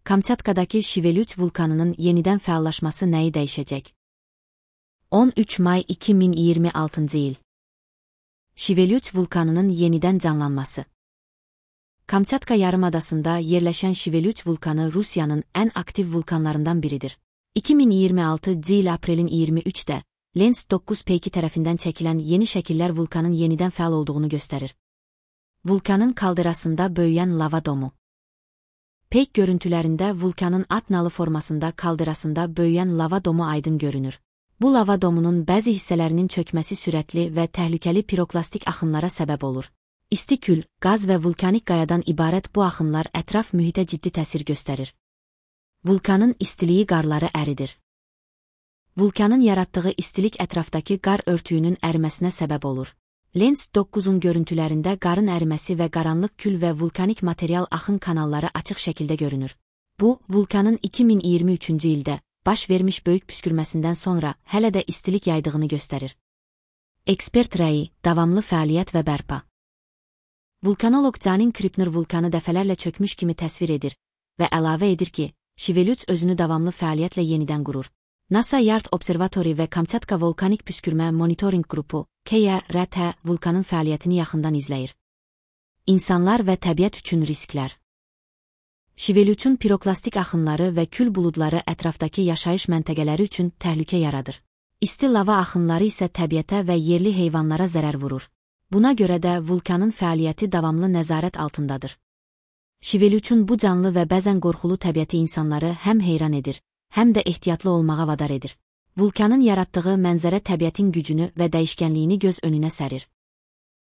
Kamçatkadakı Şivelüç vulkanının yenidən fəallaşması nəyi dəyişəcək? 13 may 2026 il. Şivelüç vulkanının yenidən canlanması. Kamçatka yarımadasında yerləşən Şivelüç vulkanı Rusiyanın ən aktiv vulkanlarından biridir. 2026 il aprelin 23-də Lens 9 peyki tərəfindən çəkilən yeni şəkillər vulkanın yenidən fəal olduğunu göstərir. Vulkanın kaldırasında böyüyən lava domu. Peyk görüntülərində vulkanın at nalı formasında kaldırasında böyüyən lava domu aydın görünür. Bu lava domunun bəzi hissələrinin çökməsi sürətli və təhlükəli piroklastik axınlara səbəb olur. İsti kül, qaz və vulkanik qayadan ibarət bu axınlar ətraf mühitə ciddi təsir göstərir. Vulkanın istiliyi qarları əridir. Vulkanın yaratdığı istilik ətrafdakı qar örtüyünün əriməsinə səbəb olur. Lens 9-un görüntülərində qarın əriməsi və qaranlıq kül və vulkanik material axın kanalları açıq şəkildə görünür. Bu, vulkanın 2023-cü ildə baş vermiş böyük püskürməsindən sonra hələ də istilik yaydığını göstərir. Ekspert rəyi, davamlı fəaliyyət və bərpa. Vulkanoloq Canin Kripner vulkanı dəfələrlə çökmüş kimi təsvir edir və əlavə edir ki, Şivelüç özünü davamlı fəaliyyətlə yenidən qurur. NASA Yard Observatory və Kamçatka Volkanik Püskürmə Monitoring Qrupu, KYRT, vulkanın fəaliyyətini yaxından izləyir. İnsanlar və təbiət üçün risklər. Şivelüçün piroklastik axınları və kül buludları ətrafdakı yaşayış məntəqələri üçün təhlükə yaradır. İsti lava axınları isə təbiətə və yerli heyvanlara zərər vurur. Buna görə də vulkanın fəaliyyəti davamlı nəzarət altındadır. Şivelüçün bu canlı və bəzən qorxulu təbiəti insanları həm heyran edir, həm də ehtiyatlı olmağa vadar edir. Vulkanın yaratdığı mənzərə təbiətin gücünü və dəyişkənliyini göz önünə sərir.